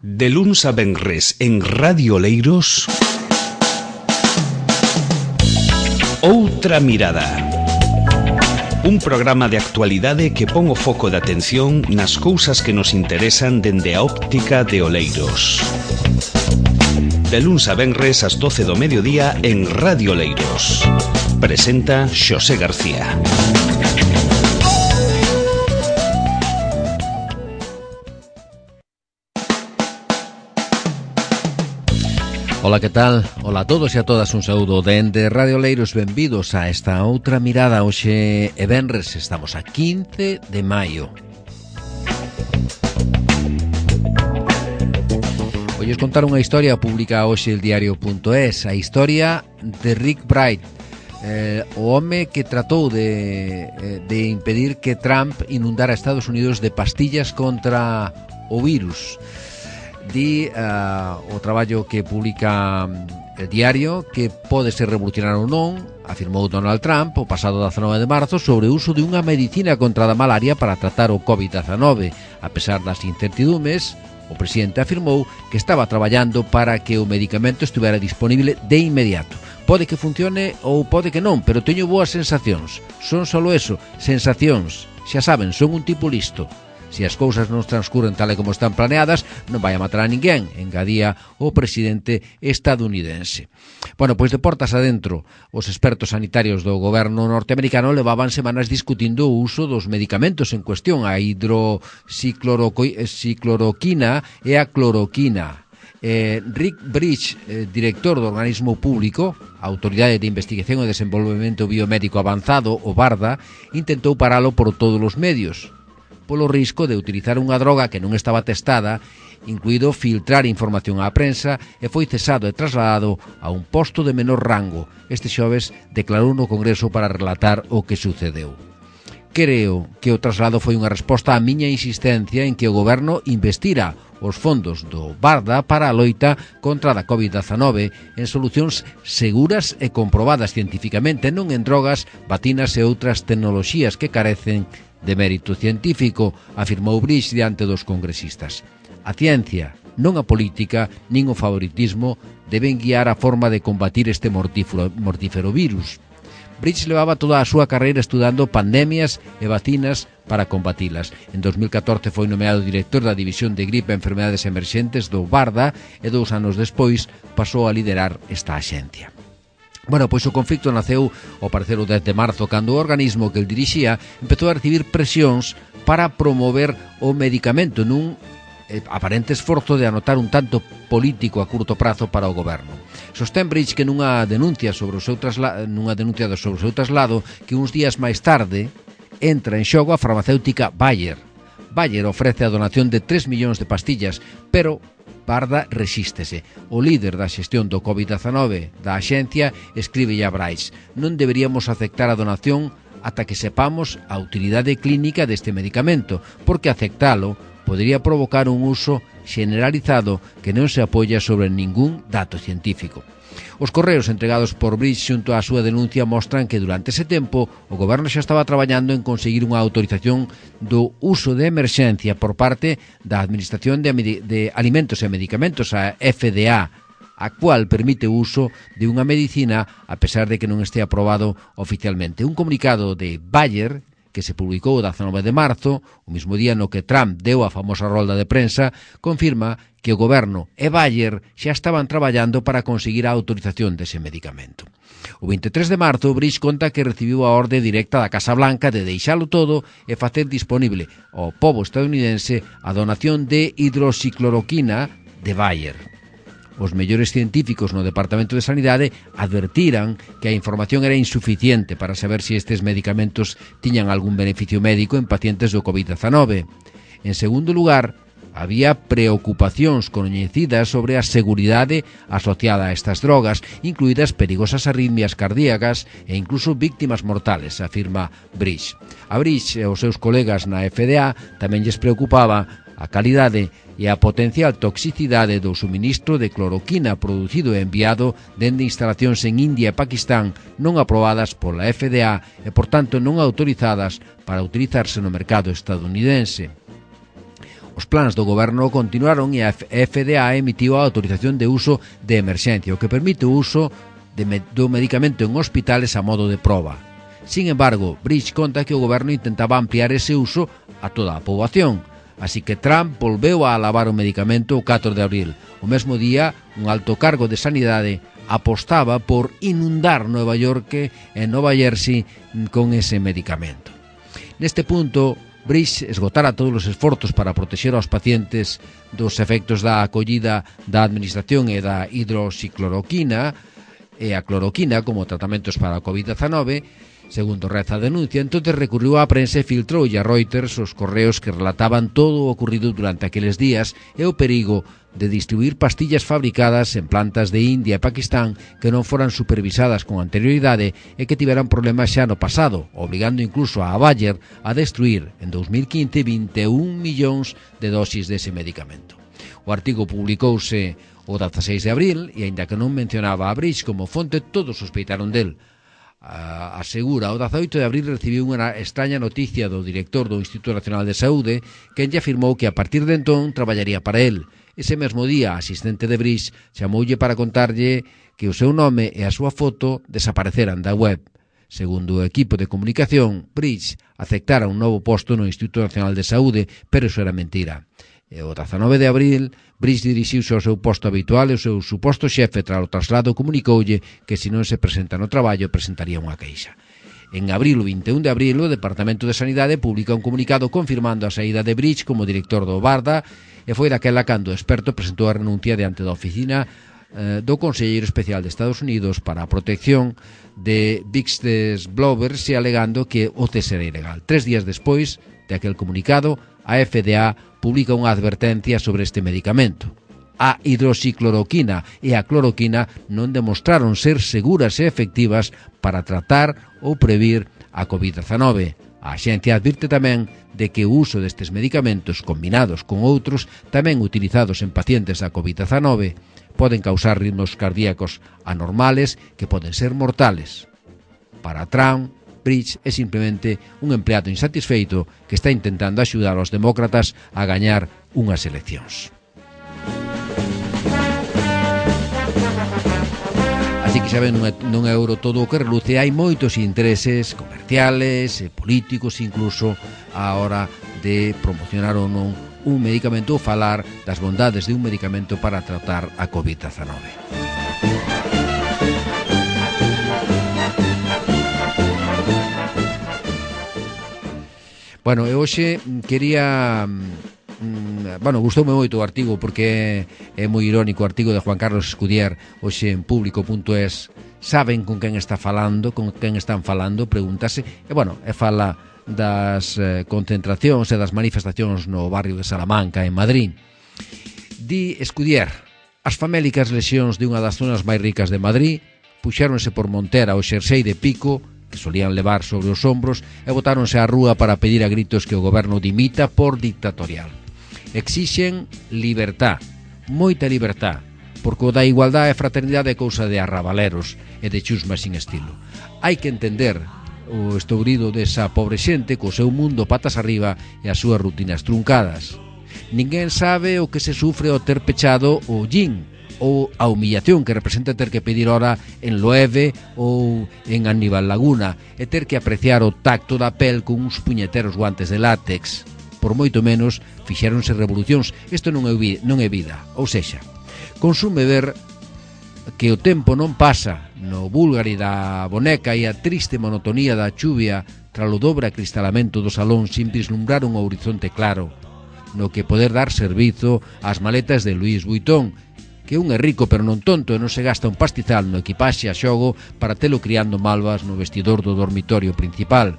De luns a venres en Radio Oleiros, Outra Mirada. Un programa de actualidade que pon o foco de atención nas cousas que nos interesan dende a óptica de Oleiros. De luns a venres ás 12 do mediodía en Radio Oleiros. Presenta Xosé García. Ola, que tal? Ola a todos e a todas, un saúdo dende Radio Oleiros. Benvidos a esta outra mirada. Hoxe é venres, estamos a 15 de maio. Olles contar unha historia, publica hoxe el diario.es, a historia de Rick Bright, o home que tratou de impedir que Trump inundara Estados Unidos de pastillas contra o virus. Di o traballo que publica el diario que pode ser revolucionario ou non, afirmou Donald Trump o pasado 19 de marzo sobre o uso de unha medicina contra a malaria para tratar o COVID-19. A pesar das incertidumes, o presidente afirmou que estaba traballando para que o medicamento estivera disponible de inmediato. Pode que funcione ou pode que non, pero teño boas sensacións. Son solo eso, sensacións. Xa saben, son un tipo listo. Se as cousas non transcurren tal e como están planeadas, non vai a matar a ninguén, engadía o presidente estadounidense. Bueno, pois de portas adentro, os expertos sanitarios do goberno norteamericano levaban semanas discutindo o uso dos medicamentos en cuestión, a hidroxicloroquina e a cloroquina. Rick Bridge, director do organismo público, a Autoridade de Investigación e Desenvolvemento Biomédico Avanzado, o BARDA, intentou paralo por todos os medios, polo risco de utilizar unha droga que non estaba testada, incluído filtrar información á prensa, e foi cesado e trasladado a un posto de menor rango. Este xoves declarou no Congreso para relatar o que sucedeu. Creo que o traslado foi unha resposta á miña insistencia en que o goberno investira os fondos do BARDA para a loita contra a COVID-19 en solucións seguras e comprobadas cientificamente, non en drogas, vacinas e outras tecnoloxías que carecen de mérito científico, afirmou Bridge diante dos congresistas. A ciencia, non a política, nin o favoritismo, deben guiar a forma de combatir este mortífero virus. Bridge levaba toda a súa carreira estudando pandemias e vacinas para combatilas. En 2014 foi nomeado director da División de Gripe e Enfermedades Emerxentes do BARDA e 2 anos despois pasou a liderar esta axencia. Bueno, pois o conflicto naceu, ao parecer, o 10 de marzo, cando o organismo que el dirixía empezou a recibir presións para promover o medicamento nun aparente esforzo de anotar un tanto político a curto prazo para o goberno. Sostén Bridge que nunha denuncia sobre o seu traslado que uns días máis tarde entra en xogo a farmacéutica Bayer. Bayer ofrece a donación de 3 millóns de pastillas, pero BARDA resístese. O líder da xestión do COVID-19 da axencia escribe a Bryce: non deberíamos aceptar a donación ata que sepamos a utilidade clínica deste medicamento, porque aceptalo podería provocar un uso generalizado que non se apoia sobre ningún dato científico. Os correos entregados por Bridge xunto á súa denuncia mostran que durante ese tempo o goberno xa estaba traballando en conseguir unha autorización do uso de emerxencia por parte da Administración de Alimentos e Medicamentos, a FDA, a cual permite o uso de unha medicina a pesar de que non este aprobado oficialmente. Un comunicado de Bayer que se publicou o 19 de marzo, o mismo día no que Trump deu a famosa rolda de prensa, confirma que o goberno e Bayer xa estaban traballando para conseguir a autorización dese medicamento. O 23 de marzo, Bridge conta que recibiu a orde directa da Casa Blanca de deixalo todo e facer disponible ao pobo estadounidense a donación de hidroxicloroquina de Bayer. Os mellores científicos no Departamento de Sanidade advertiran que a información era insuficiente para saber se estes medicamentos tiñan algún beneficio médico en pacientes do COVID-19. En segundo lugar, había preocupacións coñecidas sobre a seguridade asociada a estas drogas, incluídas perigosas arritmias cardíacas e incluso víctimas mortales, afirma Bridge. A Bridge e os seus colegas na FDA tamén lles preocupaba a calidade e a potencial toxicidade do suministro de cloroquina producido e enviado dende instalacións en India e Pakistán non aprobadas pola FDA e, por tanto, non autorizadas para utilizarse no mercado estadounidense. Os plans do goberno continuaron e a FDA emitiu a autorización de uso de emerxencia, o que permite o uso do medicamento en hospitales a modo de proba. Sin embargo, Bridge conta que o goberno intentaba ampliar ese uso a toda a poboación, así que Trump volveu a alabar o medicamento o 4 de abril. O mesmo día, un alto cargo de sanidade apostaba por inundar Nova York e Nova Jersey con ese medicamento. Neste punto, Bridge esgotara todos os esforzos para protexer aos pacientes dos efectos da acollida da administración e da hidroxicloroquina e a cloroquina como tratamentos para a COVID-19, segundo reza a denuncia. Entonces recurriu á prensa e filtrou a Reuters os correos que relataban todo o ocurrido durante aqueles días e o perigo de distribuir pastillas fabricadas en plantas de India e Pakistán que non foran supervisadas con anterioridade e que tiveran problemas xa no pasado, obligando incluso a Bayer a destruir en 2015 21 millóns de dosis dese medicamento. O artigo publicouse o 16 de abril e, aínda que non mencionaba a Bridge como fonte, todos sospeitaron del. Asegura, o 18 de abril recibiu unha extraña noticia do director do Instituto Nacional de Saúde, quen lle afirmou que a partir de entón traballaría para el. Ese mesmo día, a asistente de Bridge chamoulle para contarlle que o seu nome e a súa foto desapareceran da web. Segundo o equipo de comunicación, Bridge aceptara un novo posto no Instituto Nacional de Saúde, pero iso era mentira. E o 19 de abril, Bridge dirixiuse ao seu posto habitual e o seu suposto xefe tras o traslado comunicoulle que se non se presenta no traballo presentaría unha queixa. En abril, o 21 de abril, o Departamento de Sanidade publica un comunicado confirmando a saída de Bridge como director do BARDA e foi daquela cando o experto presentou a renuncia diante da oficina do Conselleiro Especial de Estados Unidos para a protección de whistleblowers e alegando que o cese era ilegal. 3 días despois de aquel comunicado, a FDA publica unha advertencia sobre este medicamento. A hidroxicloroquina e a cloroquina non demostraron ser seguras e efectivas para tratar ou previr a COVID-19. A axencia advirte tamén de que o uso destes medicamentos combinados con outros tamén utilizados en pacientes da COVID-19 poden causar ritmos cardíacos anormales que poden ser mortales. Para Trump, Bridge é simplemente un empleado insatisfeito que está intentando axudar aos demócratas a gañar unhas eleccións. Así que saben, non é ouro todo o que reluce, hai moitos intereses comerciales e políticos incluso a hora de promocionar ou non un medicamento ou falar das bondades de un medicamento para tratar a COVID-19. Bueno, e hoxe quería... gustoume moito o artigo porque é moi irónico o artigo de Juan Carlos Escudier hoxe en público.es. Saben con quen está falando, con quen están falando, pregúntase, e fala das concentracións e das manifestacións no barrio de Salamanca, en Madrid. Di Escudier, as famélicas lesións de unha das zonas máis ricas de Madrid puxéronse por montera o xersei de pico que solían levar sobre os ombros e botáronse á rúa para pedir a gritos que o goberno dimita por dictatorial. Exixen libertad, moita libertad, porque o da igualdade e fraternidade é cousa de arrabaleros e de chusma sin estilo. Hai que entender o estourido desa pobre xente co seu mundo patas arriba e as súas rutinas truncadas. Ninguén sabe o que se sufre ao ter pechado o gin ou a humillación que representa ter que pedir hora en Loewe ou en Aníbal Laguna e ter que apreciar o tacto da pel con uns puñeteros guantes de látex. Por moito menos fixéronse revolucións. Isto non é vida, ou sexa, consume ver que o tempo non pasa no Búlgari da boneca e a triste monotonía da chuvia tralo dobre acristalamento do salón sin vislumbrar un horizonte claro no que poder dar servizo ás maletas de Louis Vuitton, que un é rico pero non tonto e non se gasta un pastizal no equipaxe a xogo para telo criando malvas no vestidor do dormitorio principal.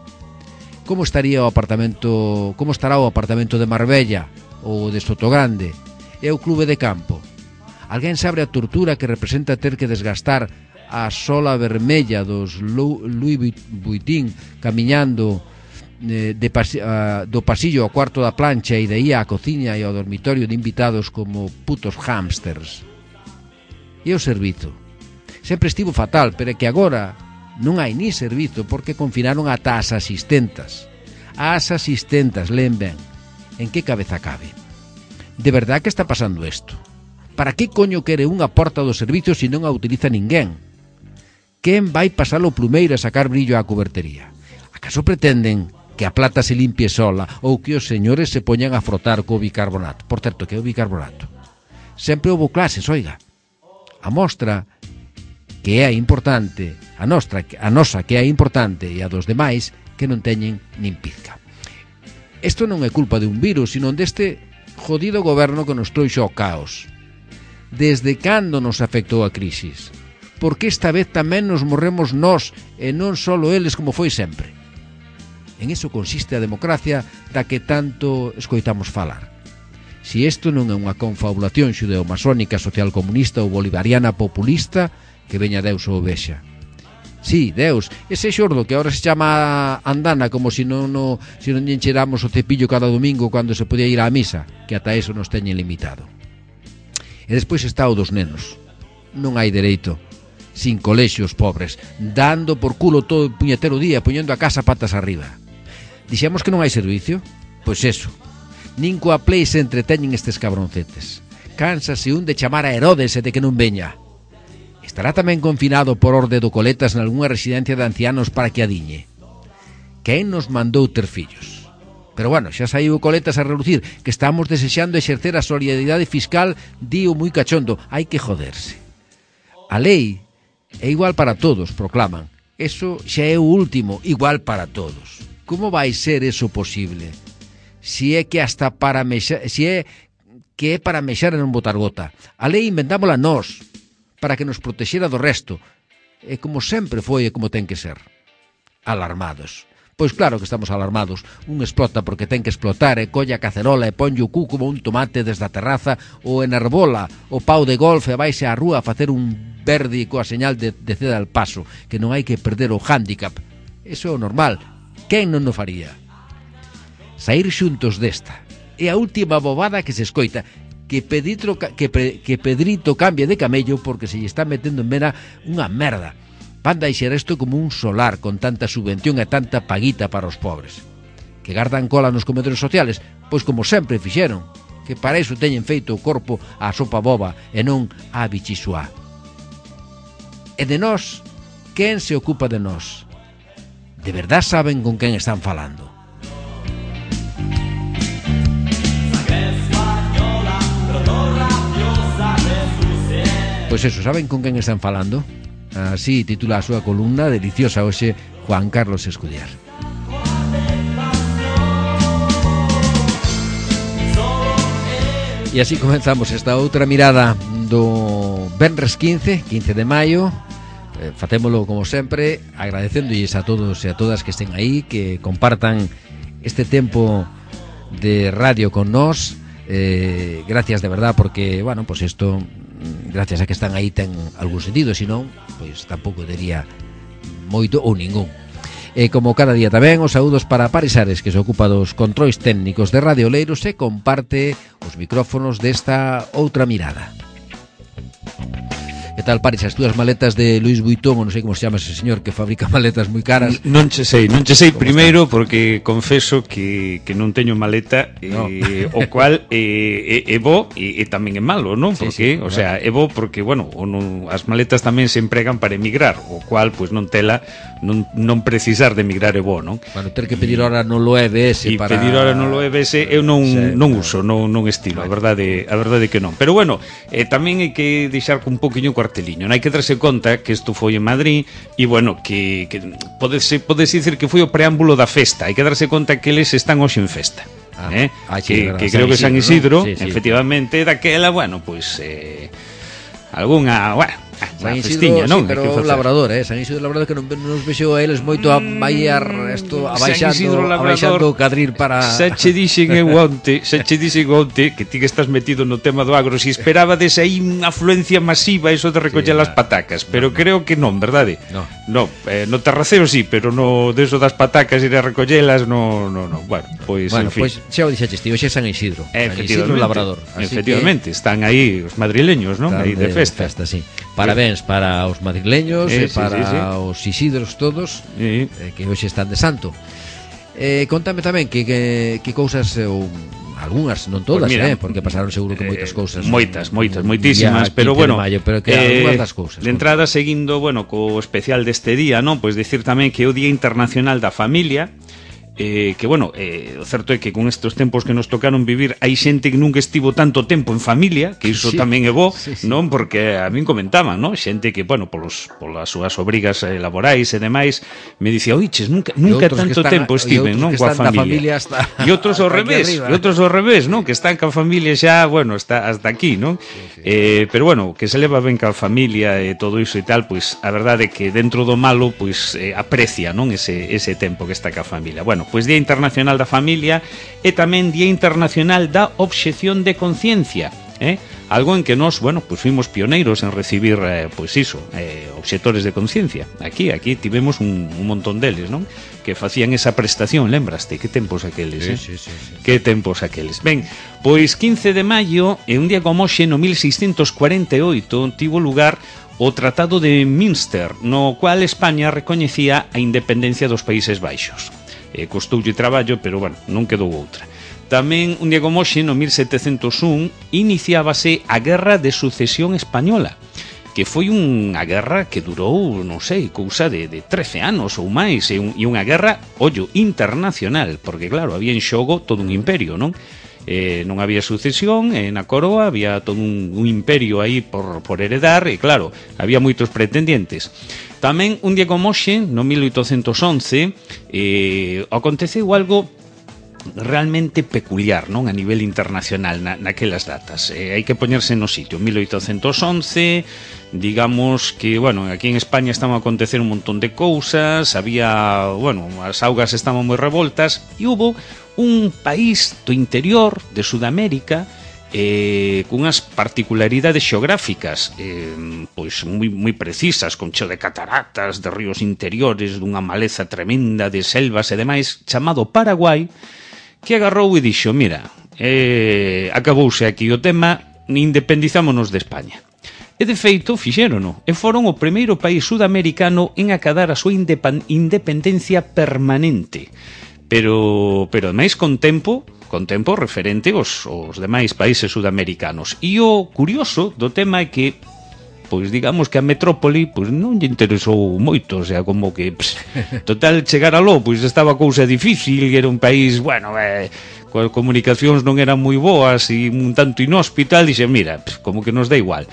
Como estará o apartamento de Marbella ou de Sotogrande e o clube de campo? Alguén sabe a tortura que representa ter que desgastar a sola vermella dos Louis Vuitton camiñando do pasillo ao cuarto da plancha e de aí á cociña e ao dormitorio de invitados como putos hámsters? E o servizo? Sempre estivo fatal, pero é que agora non hai ni servizo porque confinaron ata as asistentas. As asistentas, leen ben, en que cabeza cabe? De verdad que está pasando isto? Para que coño quere unha porta do servicio se non a utiliza ninguén? Quen vai pasar o plumeiro a sacar brillo á cubertería? Acaso pretenden que a plata se limpie sola ou que os señores se poñan a frotar co bicarbonato? Por certo, que é o bicarbonato? Sempre houve clases, oiga. A mostra que é importante, a nosa que é importante e a dos demais que non teñen nin pizca. Isto non é culpa de un virus, sino deste jodido goberno que nos trouxo ao caos. Desde cando nos afectou a crisis? Por que esta vez tamén nos morremos nós e non só eles como foi sempre? En iso consiste a democracia da que tanto escoitamos falar. Si isto non é unha confabulación xudeo-masónica, socialcomunista ou bolivariana populista, que veña Deus ou vexa. Sí, Deus, ese xordo que agora se chama andana como se non encheramos o cepillo cada domingo cando se podía ir á misa, que ata eso nos teñen limitado. E despois está o dos nenos. Non hai dereito. Sin colexios pobres, dando por culo todo o puñetero día, poñendo a casa patas arriba. Dixemos que non hai servicio? Pois eso. Nin coa play se entreteñen estes cabroncetes. Cánsase un de chamar a Herodes e de que non veña. Estará tamén confinado por orde do Coletas nalgúna residencia de ancianos para que adiñe. Quen nos mandou ter fillos? Pero bueno, xa saiu o Coletas a relucir que estamos desexando exercer a solidaridade fiscal, dío moi cachondo, hai que joderse. A lei é igual para todos, proclaman. Eso xa é o último, igual para todos. Como vai ser eso posible? Si é que hasta para mexar, si é que é para mexar e non botar gota. A lei inventámola nós, para que nos protexera do resto. E como sempre foi e como ten que ser. Alarmados. Pois claro que estamos alarmados. Un explota porque ten que explotar e colle a cacerola e ponlle o cu como un tomate desde a terraza ou enervola o pau de golf e vaise á rúa a facer un verde coa señal de ceda al paso, que non hai que perder o hándicap. Eso é o normal. Quen non o faría? Saír xuntos desta. É a última bobada que se escoita. Que Pedrito cambie de camello porque se lle está metendo en vena unha merda. Van deixar isto como un solar con tanta subvención e tanta paguita para os pobres. Que gardan cola nos comedores sociales? Pois como sempre fixeron, que para iso teñen feito o corpo á sopa boba e non á bichisua. E de nós, quen se ocupa de nós? De verdad saben con quen están falando? Pois eso, saben con quen están falando? Así titula a súa columna deliciosa hoxe Juan Carlos Escudiar. E así comenzamos esta outra mirada do Venres 15 de maio. Facémolo como sempre agradecéndolles a todos e a todas que estén aí, que compartan este tempo de radio con nós. Gracias de verdad porque, bueno, pues isto, gracias a que están aí, ten algún sentido, senón, pois tampouco diría moito ou ningún. E como cada día tamén, os saúdos para Paris Ares, que se ocupa dos controis técnicos de Radio Oleiros e comparte os micrófonos desta outra mirada. Que tal, Paris, as túas maletas de Louis Vuitton, ou non sei como se chama ese señor que fabrica maletas moi caras? Non che sei primeiro porque confeso que non teño maleta, no. O cual é bo e tamén é malo, non? Porque, sí, o sea, é bo porque, bueno, as maletas tamén se empregan para emigrar, o cual, pois non tela, non precisar de emigrar é bo, non? Bueno, ter que pedir hora no lo EBS para... E pedir hora no lo EBS eu non uso, non estilo, a verdade que non. Pero bueno, tamén hai que deixar un poquinho carteliño. Non hai que darse conta que isto foi en Madrid e, bueno, que podese dicir que foi o preámbulo da festa. Hai que darse conta que eles están hoxe en festa. Que creo que San Isidro, ¿no? Sí. Efectivamente, daquela, bueno, pois algunha, bueno, San Isidro, festiña, non? Sí, pero o Labrador, San Isidro Labrador, que non nos vexo a eles moito a baiar isto, abaixando o cadril para... Xa che dixen onte que ti que estás metido no tema do agro, si esperabades aí unha afluencia masiva eso de recoller as patacas, pero creo que non, verdade? No, no terraceo sí, pero no deso das patacas ir a recollelas, no. Bueno, pois, en fin. Pois xa o dixaches ti, hoxe é San Isidro. San Isidro Labrador. Efectivamente, están aí os madrileños, non? Aí de festa, sí. Parabéns para os madrileños e para os Isidros todos, que hoxe están de santo. Contame tamén que cousas, ou algunhas, non todas, Pues mira, porque pasaron seguro que moitas cousas. Moitísimas, pero bueno, pero que algunhas das cousas. De entrada, seguindo, bueno, co especial deste día, non? Pois decir tamén que é o Día Internacional da Familia, que, bueno, o certo é que con estes tempos que nos tocaron vivir hai xente que nunca estivo tanto tempo en familia, que iso tamén é bo, non? Porque a min comentaban, non? Xente que, bueno, polas súas obrigas laborais e demais, me dicía, oiches, nunca tanto tempo estiven, non? Coa familia. E outros ao revés, non? Que están ca familia xa, bueno, hasta aquí, non? Pero, bueno, que se leva ben ca familia e todo iso e tal, pois, a verdade é que dentro do malo, pois, aprecia, non? Ese tempo que está ca familia. Bueno, pois Día Internacional da Familia e tamén Día Internacional da Obxección de Conciencia, algo en que nós, bueno, pois fuimos pioneiros en recibir, pois iso, obxectores de conciencia. Aquí tivemos un montón deles, non? Que facían esa prestación, lembraste? Que tempos aqueles, Sí. Que tempos aqueles. Ben, pois 15 de maio, e un día como hoxe, no 1648, tivo lugar o Tratado de Münster, no cual España recoñecía a independencia dos Países Baixos. Costoulle traballo, pero, bueno, non quedou outra. Tamén, un día como hoxe, no 1701, iniciábase a Guerra de Sucesión Española, que foi unha guerra que durou, non sei, cousa de 13 anos ou máis, e unha guerra, ollo, internacional, porque, claro, había en xogo todo un imperio, non? Non había sucesión na coroa, había todo un imperio aí por heredar, e, claro, había moitos pretendientes. Tamén, un día como hoxe, no 1811, aconteceu algo realmente peculiar, non? A nivel internacional naquelas datas. Hai que poñerse no sitio. 1811, digamos que, bueno, aquí en España estaban a acontecer un montón de cousas, había, bueno, as augas estaban moi revoltas, e hubo un país do interior de Sudamérica cunhas particularidades xeográficas pois moi precisas, con cheo de cataratas, de ríos interiores, dunha maleza tremenda de selvas e demais, chamado Paraguai, que agarrou e dixo, mira, acabouse aquí o tema, independizámonos de España. E de feito fixérono, e foron o primeiro país sudamericano en acadar a súa independencia permanente, pero ademais con tempo referente aos demais países sudamericanos. E o curioso do tema é que, pois digamos que a metrópoli pois non lle interesou moito, o sea, como que total chegar aló, pois estaba cousa difícil, era un país, bueno, coas comunicacións non eran moi boas e un tanto inhóspito, dixe, mira, como que nos dá igual.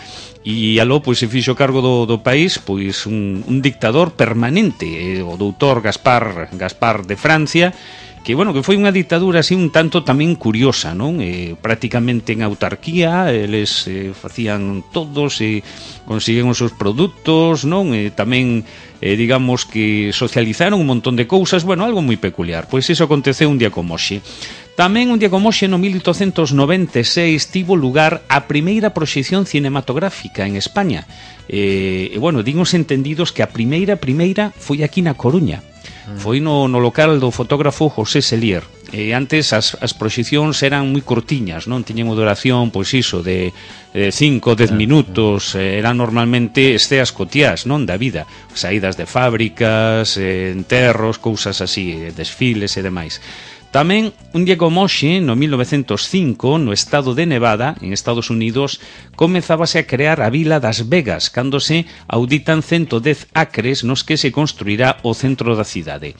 E aló, pois, se fixo cargo do país, pois, un dictador permanente, o doutor Gaspar de Francia, que, bueno, que foi unha ditadura así un tanto tamén curiosa, non? Prácticamente en autarquía, eles facían todos e consiguían os seus produtos, non? Tamén, digamos que socializaron un montón de cousas, bueno, algo moi peculiar. Pois iso aconteceu un día como hoxe. Tamén un día como hoxe, no 1896, tivo lugar a primeira proxección cinematográfica en España. E, bueno, din os entendidos que a primeira foi aquí na Coruña. Foi no local do fotógrafo José Selier. Antes as proxeccións eran moi cortiñas, non? Tiñen unha duración, pois iso, de 5 ou 10 minutos. Eran normalmente esteas cotiás, non? Da vida. Saídas de fábricas, enterros, cousas así, desfiles e demais. Tamén, un día como hoxe, no 1905, no estado de Nevada, en Estados Unidos, comezábase a crear a vila das Vegas, cando se auditan 110 acres nos que se construirá o centro da cidade.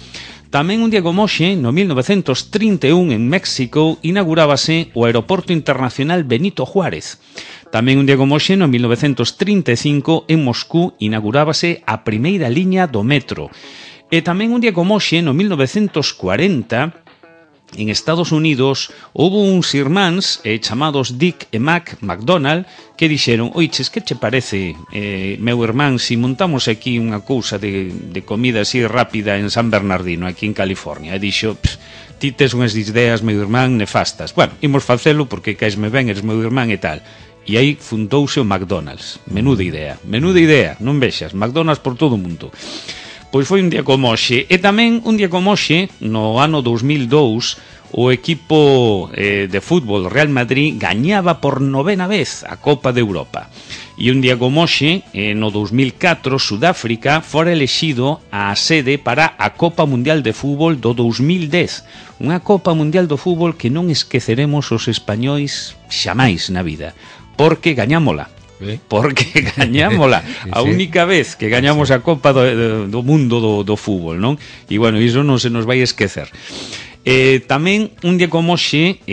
Tamén un día como hoxe, no 1931, en México, inaugurábase o Aeroporto Internacional Benito Juárez. Tamén un día como hoxe, no 1935, en Moscú, inaugurábase a primeira liña do metro. E tamén un día como hoxe, no 1940, en Estados Unidos, houve uns irmáns chamados Dick e Mac McDonald que dixeron, oiches, que che parece, meu irmán, si montamos aquí unha cousa de comida así rápida en San Bernardino, aquí en California? E dixo, ti tes unhas ideas, meu irmán, nefastas. Bueno, imos facelo porque caesme ben, eres meu irmán e tal. E aí fundouse o McDonald's. Menuda idea, non vexas, McDonald's por todo o mundo. Pois foi un día como hoxe. E tamén un día como hoxe, no ano 2002, o equipo de fútbol Real Madrid gañaba por 9ª vez a Copa de Europa. E un día como hoxe, no 2004, Sudáfrica fora elexido a sede para a Copa Mundial de Fútbol do 2010. Unha Copa Mundial do Fútbol que non esqueceremos os españois xamais na vida, porque gañámola. Porque gañámola a única vez que gañamos a Copa do mundo do fútbol, non? E bueno, iso non se nos vai esquecer. Tamén un día como hoxe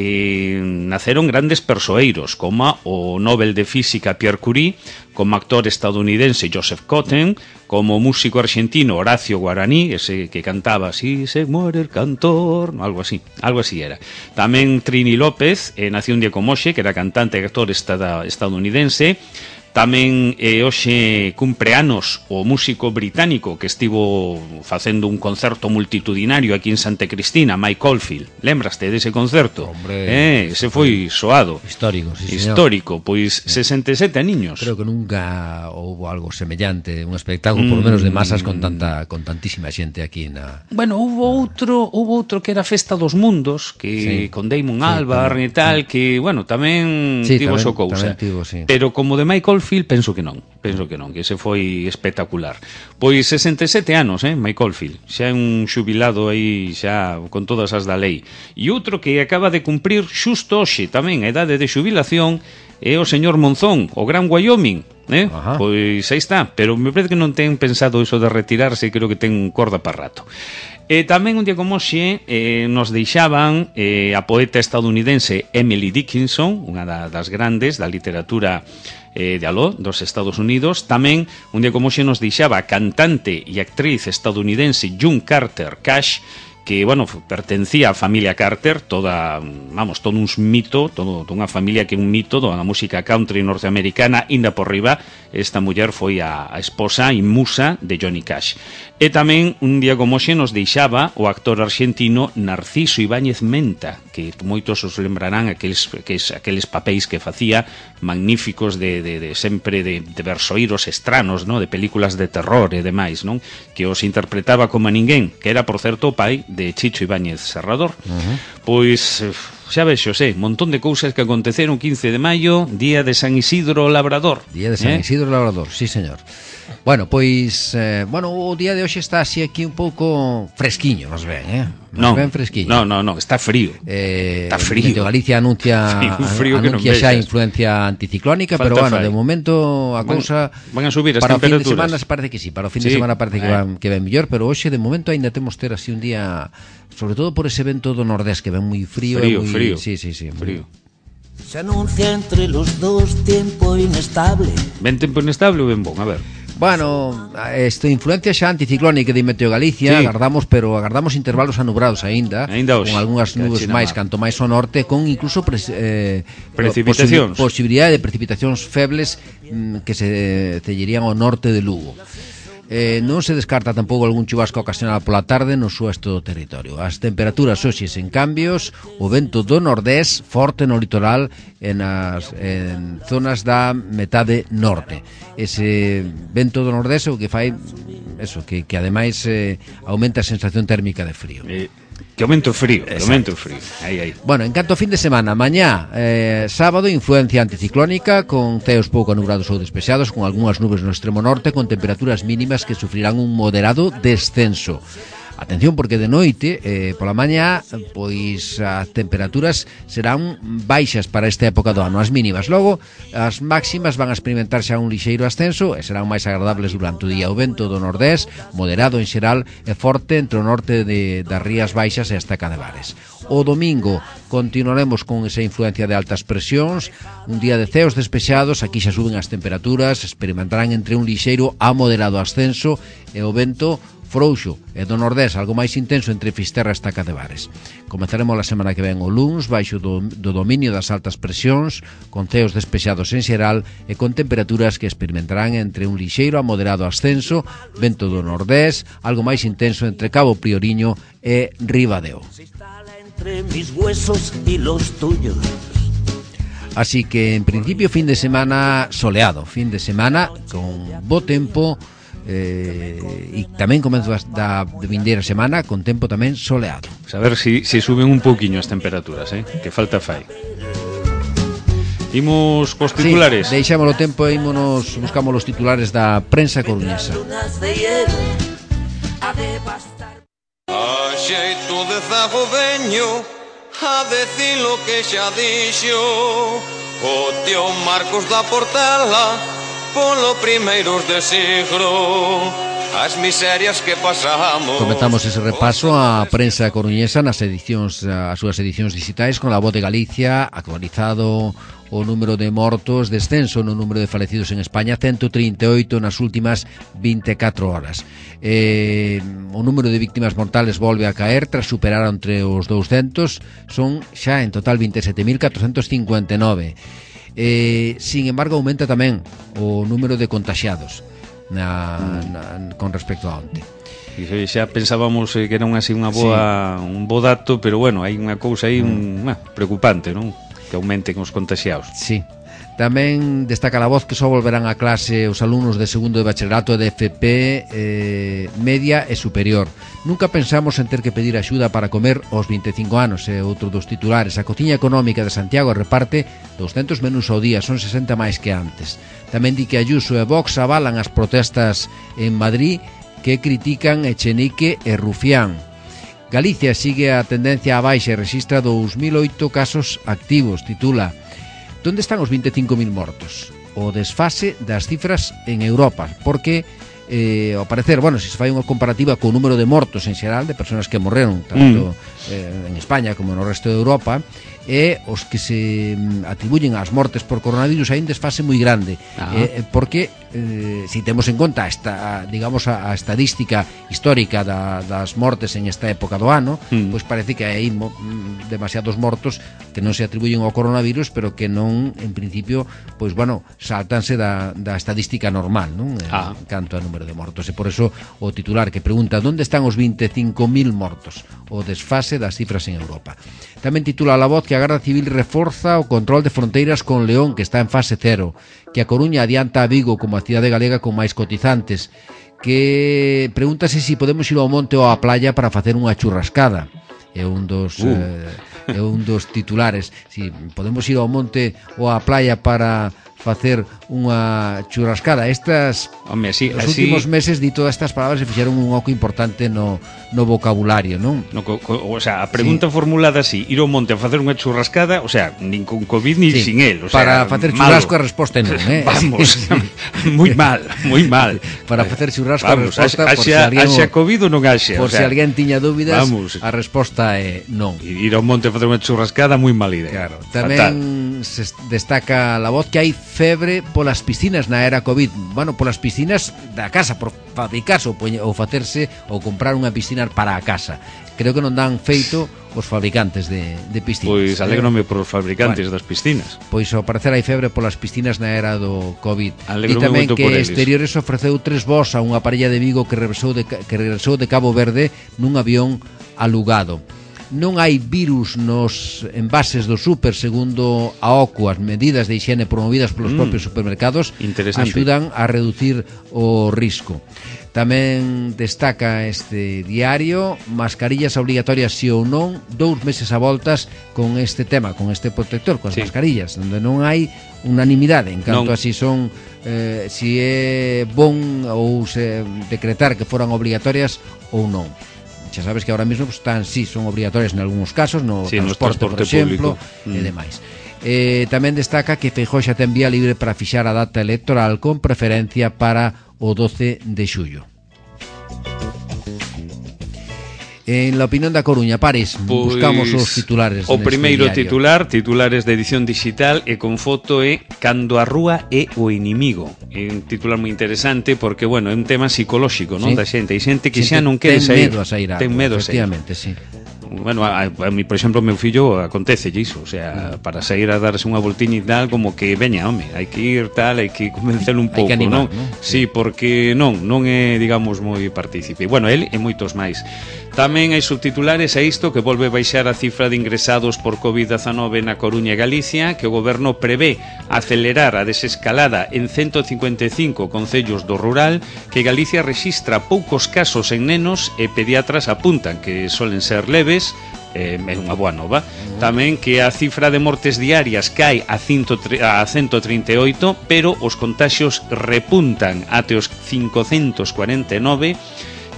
naceron grandes persoeiros como o Nobel de Física Pierre Curie, como actor estadounidense Joseph Cotten, como músico argentino Horacio Guaraní, ese que cantaba "Si se muere el cantor", algo así era. Tamén Trini López, nació un día como hoxe, que era cantante e actor estadounidense. Tamén hoxe cumpre anos o músico británico que estivo facendo un concerto multitudinario aquí en Santa Cristina, Mike Oldfield. Lembraste dese concerto? Hombre, ese foi soado. Histórico, sí, señor. Histórico, pois 67 aniños. Creo que nunca houbo algo semellante, un espectáculo por lo menos de masas con tantísima xente aquí na... Bueno, hubo outro que era Festa dos Mundos, que con Damon Albarn e tal, que, bueno, tamén tivo so cousa. Pero como de Mike Oldfield, penso que non, que ese foi espectacular. Pois 67 anos, Mike Oldfield, xa é un xubilado aí xa con todas as da lei. E outro que acaba de cumprir xusto hoxe tamén a idade de xubilación é o señor Monzón, o Gran Wyoming, pois aí está, pero me parece que non ten pensado iso de retirarse, creo que ten corda para rato. Tamén un día como hoxe nos deixaban a poeta estadounidense Emily Dickinson, unha das grandes da literatura de aló, dos Estados Unidos. Tamén un día como hoxe nos deixaba a cantante e actriz estadounidense June Carter Cash, que, bueno, pertencía á familia Carter, todo un mito, toda unha familia que é un mito da música country norteamericana. Inda por riba, esta muller foi a esposa e musa de Johnny Cash. E tamén un día como hoxe nos deixaba o actor argentino Narciso Ibáñez Menta, que moitos os lembrarán aqueles papéis que facía magníficos de sempre de versoíros estranos, no? De películas de terror e demais, non? Que os interpretaba como a ninguén, que era, por certo, o pai de Chicho Ibáñez Serrador. Pois xa vexo, montón de cousas que aconteceron 15 de maio, día de San Isidro Labrador. Día de San Isidro Labrador, sí, señor. Bueno, pois, o día de hoxe está así aquí un pouco fresquiño, nos ven, Non, ben fresquiño. Non, está frío. Está frío. Meteo Galicia anuncia xa influencia anticiclónica, pero bueno, de momento a cousa van a subir as para temperaturas. O fin de semana parece que sí, para o fin de semana parece que ven mellor, pero hoxe de momento aínda temos ter así un día, sobre todo por ese vento do nordés que ven moi frío. Frío. Sí, frío. Se anuncia entre los dos tiempo inestable. Ben tempo inestable ou ben bon, a ver. Bueno, esta influencia xa anticiclónica de Meteo Galicia, agardamos intervalos anubrados aínda hoxe, con algunhas nubes máis, canto máis ao norte, con incluso precipitacións. Posibilidade de precipitacións febles que se cellerían ao norte de Lugo. Non se descarta tampouco algún chubasco ocasional pola tarde no sueste do territorio. As temperaturas hoxe sen cambios, o vento do nordés forte no litoral en zonas da metade norte. Ese vento do nordés o que fai eso, que ademais aumenta a sensación térmica de frío. Que aumento frío. Aí. Bueno, en canto a fin de semana, mañá, sábado, influencia anticiclónica con ceos pouco nubrados ou despexados, con algunhas nubes no extremo norte, con temperaturas mínimas que sufrirán un moderado descenso. Atención, porque de noite, pola mañá, pois as temperaturas serán baixas para esta época do ano, as mínimas. Logo, as máximas van a experimentar xa un lixeiro ascenso e serán máis agradables durante o día. O vento do nordés, moderado en xeral, e forte entre o norte das Rías Baixas e a Esteca de Bares. O domingo continuaremos con esa influencia de altas presións, un día de ceos despexados, aquí xa suben as temperaturas, experimentarán entre un lixeiro a moderado ascenso e o vento frouxo e do nordés algo máis intenso entre Fisterra e Estaca de Bares. Comezaremos a semana que ven o luns baixo do dominio das altas presións, con ceos despexados en xeral e con temperaturas que experimentarán entre un lixeiro a moderado ascenso, vento do nordés algo máis intenso entre Cabo Prioriño e Ribadeo. Entre mis huesos y los tuyos. Así que en principio fin de semana soleado, fin de semana con bo tempo, e tamén comezo da vindeira semana con tempo tamén soleado. A ver se suben un pouquiño as temperaturas, que falta fai. Imos cos titulares. Sí, deixamos o tempo e buscamos os titulares da prensa coruñesa. A xeito de zago veño a decir lo que xa dixo o tío Marcos da Portela polo primeiros de siglo. As miserias que pasamos. Comentamos ese repaso á prensa coruñesa nas edicións, as súas edicións digitais con La Voz de Galicia, actualizado o número de mortos, descenso no número de falecidos en España, 138 nas últimas 24 horas. O número de víctimas mortales volve a caer tras superar entre os 200, son xa en total 27.459. Sin embargo, aumenta tamén o número de contaxiados con respecto a onte. Xa pensábamos que era un bo dato, pero bueno, hai unha cousa aí preocupante, non? Que aumenten os contaxiados. Sí. Tamén destaca La Voz que só volverán a clase os alumnos de segundo de bachillerato de FP media e superior. Nunca pensamos en ter que pedir axuda para comer aos 25 anos, é outro dos titulares. A cociña económica de Santiago reparte 200 menús ao día, son 60 máis que antes. Tamén di que Ayuso e Vox avalan as protestas en Madrid que critican Echenique e Rufián. Galicia sigue a tendencia a baixa e rexistra 2008 casos activos, titula. Onde están os 25.000 mortos? O desfase das cifras en Europa, porque ao parecer, se se fai unha comparativa co número de mortos en xeral, de persoas que morreron tanto en España como no resto de Europa, e os que se atribuyen ás mortes por coronavirus hai un desfase moi grande, porque si temos en conta esta, digamos, a estadística histórica das mortes en esta época do ano, pois parece que hai demasiados mortos que non se atribuyen ao coronavirus, pero que non, en principio, pois saltanse da estadística normal, non? Canto a número de mortos, e por eso o titular que pregunta onde están os 25.000 mortos, o desfase das cifras en Europa. Tamén titula La Voz que a Garda Civil reforza o control de fronteiras con León, que está en fase 0, que a Coruña adianta a Vigo como a cidade galega con máis cotizantes, que pregúntase se podemos ir ao monte ou á playa para facer unha churrascada. É un dos titulares. Si podemos ir ao monte ou á playa para facer unha churrascada. Os últimos meses di todas estas palabras e fixeron un oco importante no vocabulario, non? A pregunta formulada así, ir ao monte a facer unha churrascada, nin con COVID ni sin él, para facer churrasco a resposta non, Vamos, moi mal. Para facer churrasco a resposta, por se alguén haxa COVID ou non haxa. Por se alguén tiña dúbidas, a resposta é non. Ir ao monte a facer unha churrascada, moi mal idea. Claro. Tamén se destaca La Voz que hai febre polas piscinas na era COVID. Polas piscinas da casa, por fabricarse ou facerse ou comprar unha piscina para a casa. Creo que non dan feito os fabricantes de piscinas. Pois alégrome por os fabricantes das piscinas. Pois ao parecer hai febre polas piscinas na era do COVID. E tamén moito que Exteriores ofreceu 3 voos a unha parella de Vigo que regresou de Cabo Verde nun avión alugado. Non hai virus nos envases do súper, segundo a OCU. As medidas de higiene promovidas polos propios supermercados axudan a reducir o risco. Tamén destaca este diario mascarillas obligatorias si ou non, 2 meses a voltas con este tema, con este protector, con as mascarillas, onde non hai unanimidade en canto a si son si é bon ou se decretar que foran obligatorias ou non. Xa sabes que ahora mesmo son obrigatorias en algúns casos, no transporte, por exemplo, e demais. Tamén destaca que Feijóo xa ten vía libre para fixar a data electoral con preferencia para o 12 de xullo. En la opinión da Coruña, Pares, buscamos os titulares. O primeiro titulares de edición digital e con foto é Cando a rúa é o inimigo. É un titular moi interesante porque, é un tema psicolóxico, non? Da xente. Hai xente que xa non quere sair. Ten medo a sair. Efectivamente, sí. A mí, por exemplo, meu fillo acontece iso, para sair a darse unha voltiña e tal, como que veña, hai que ir tal, hai que convencelo un pouco, non? Sí, porque non é, digamos, moi partícipe. Él e moitos máis. Tamén hai subtitulares a isto que volve baixar a cifra de ingresados por COVID-19 na Coruña e Galicia, que o goberno prevé acelerar a desescalada en 155 concellos do rural, que Galicia rexistra poucos casos en nenos e pediatras apuntan que solen ser leves, é unha boa nova. Tamén que a cifra de mortes diarias cae a 138, pero os contaxios repuntan até os 549,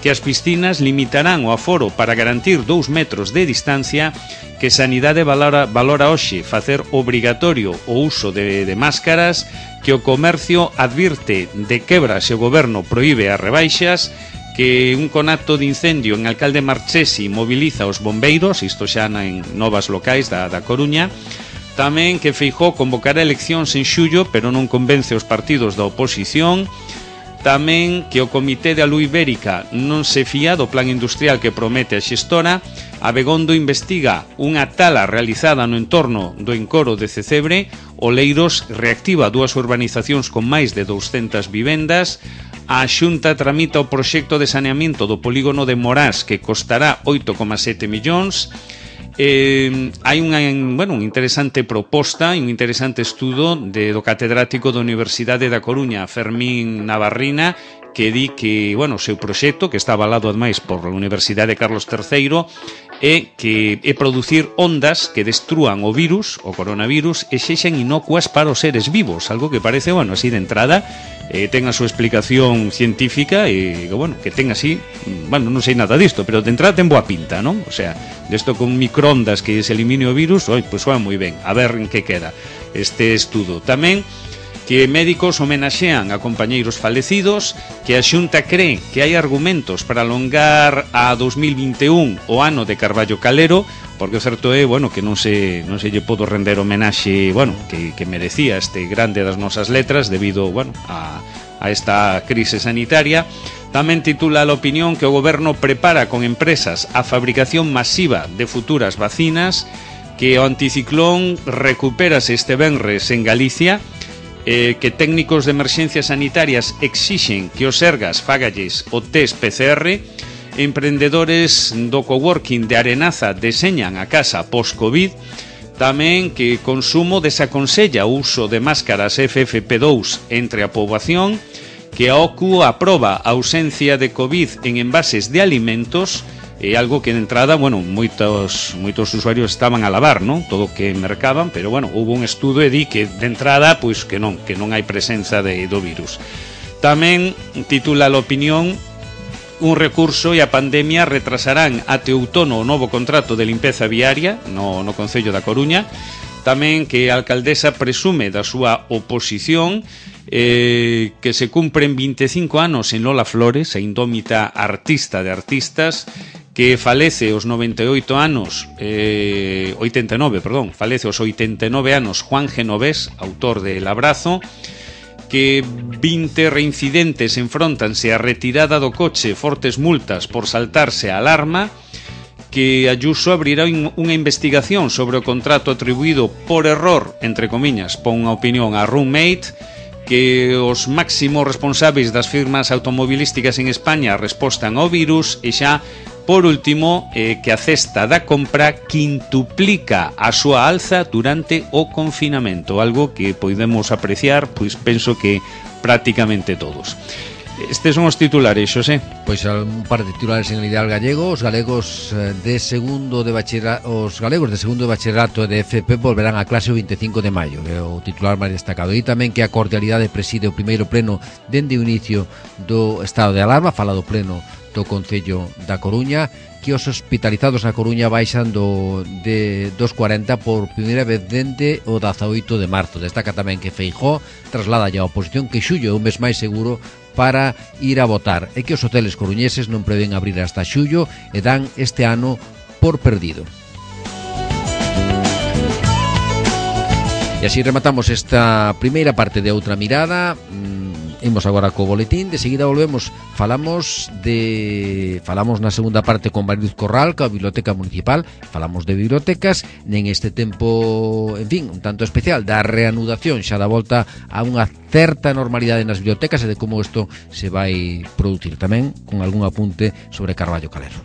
que as piscinas limitarán o aforo para garantir 2 metros de distancia, que Sanidade valora hoxe facer obrigatorio o uso de máscaras, que o comercio advirte de quebra se o goberno proíbe as rebaixas, que un conato de incendio en Alcalde Marchesi moviliza os bombeiros, isto xa en novas locais da Coruña. Tamén que Feijóo convocará eleccións en xullo, pero non convence os partidos da oposición. Tamén que o Comité de Alú Ibérica non se fía do plan industrial que promete a xestora. Abegondo investiga unha tala realizada no entorno do encoro de Cecebre. Oleiros reactiva 2 urbanizacións con máis de 200 vivendas. A Xunta tramita o proxecto de saneamento do polígono de Morás, que costará 8,7 millóns. Hai unha interesante proposta e un interesante estudo do catedrático da Universidade da Coruña, Fermín Navarrina, que di que, o seu proxecto, que está avalado ademais por a Universidade Carlos III, é producir ondas que destrúan o virus, o coronavirus, e sexan inocuas para os seres vivos, algo que parece, así de entrada, ten a súa explicación científica e, que ten así, non sei nada disto, pero de entrada ten boa pinta, non? O sea, desto con microondas que se elimine o virus, pois soa moi ben, a ver en que queda este estudo. Tamén que médicos homenaxean a compañeiros falecidos, que a Xunta cree que hai argumentos para alongar a 2021 o ano de Carballo Calero, porque o certo é, que non se lle podo render homenaxe, que merecía este grande das nosas letras debido, a esta crise sanitaria. Tamén titula a opinión que o goberno prepara con empresas a fabricación masiva de futuras vacinas, que o anticiclón recupérase este venres en Galicia, que técnicos de emerxencias sanitarias exixen que os Sergas fagalles o test PCR. Emprendedores do coworking de Arenaza deseñan a casa post-Covid. Tamén que consumo desaconsella o uso de máscaras FFP2 entre a poboación, que a OCU aproba a ausencia de Covid en envases de alimentos, é algo que de entrada, moitos usuarios estaban a lavar, non? Todo o que mercaban, pero houve un estudo e di que de entrada, pois que non hai presenza do virus. Tamén titula a opinión: un recurso e a pandemia retrasarán até outono o novo contrato de limpeza viaria no Concello da Coruña. Tamén que a alcaldesa presume da súa oposición, que se cumpren 25 anos en Lola Flores, a indómita artista de artistas, que falece aos 98 anos, falece aos 89 anos Juan Genovés, autor de El Abrazo, que 20 reincidentes enfróntanse a retirada do coche, fortes multas por saltarse a alarma, que Ayuso abrirá unha investigación sobre o contrato atribuído por error, entre comiñas, pon unha opinión a Roommate, que os máximos responsáveis das firmas automobilísticas en España respostan ao virus, e xa, por último, que a cesta da compra quintuplica a súa alza durante o confinamento, algo que podemos apreciar, pois penso que prácticamente todos. Estes son os titulares, Xosé. Pois un par de titulares en Ideal Gallego. Os galegos de segundo de bachillerato de FP volverán a clase o 25 de maio. É o titular máis destacado. E tamén que a cordialidade preside o primeiro pleno dende o inicio do estado de alarma. Fala do pleno do Concello da Coruña, que os hospitalizados na Coruña baixan de 240 por primeira vez dende o 18 de marzo. Destaca tamén que Feijóo traslada a oposición que xullo é un mes máis seguro para ir a votar, e que os hoteles coruñeses non prevén abrir hasta xullo e dan este ano por perdido. E así rematamos esta primeira parte de Outra Mirada. Imos agora co boletín, de seguida volvemos. Falamos na segunda parte con Mariluz Corral, coa Biblioteca Municipal. Falamos de bibliotecas en este tempo, en fin, un tanto especial da reanudación xa da volta a unha certa normalidade nas bibliotecas e de como isto se vai producir, tamén con algún apunte sobre Carballo Calero.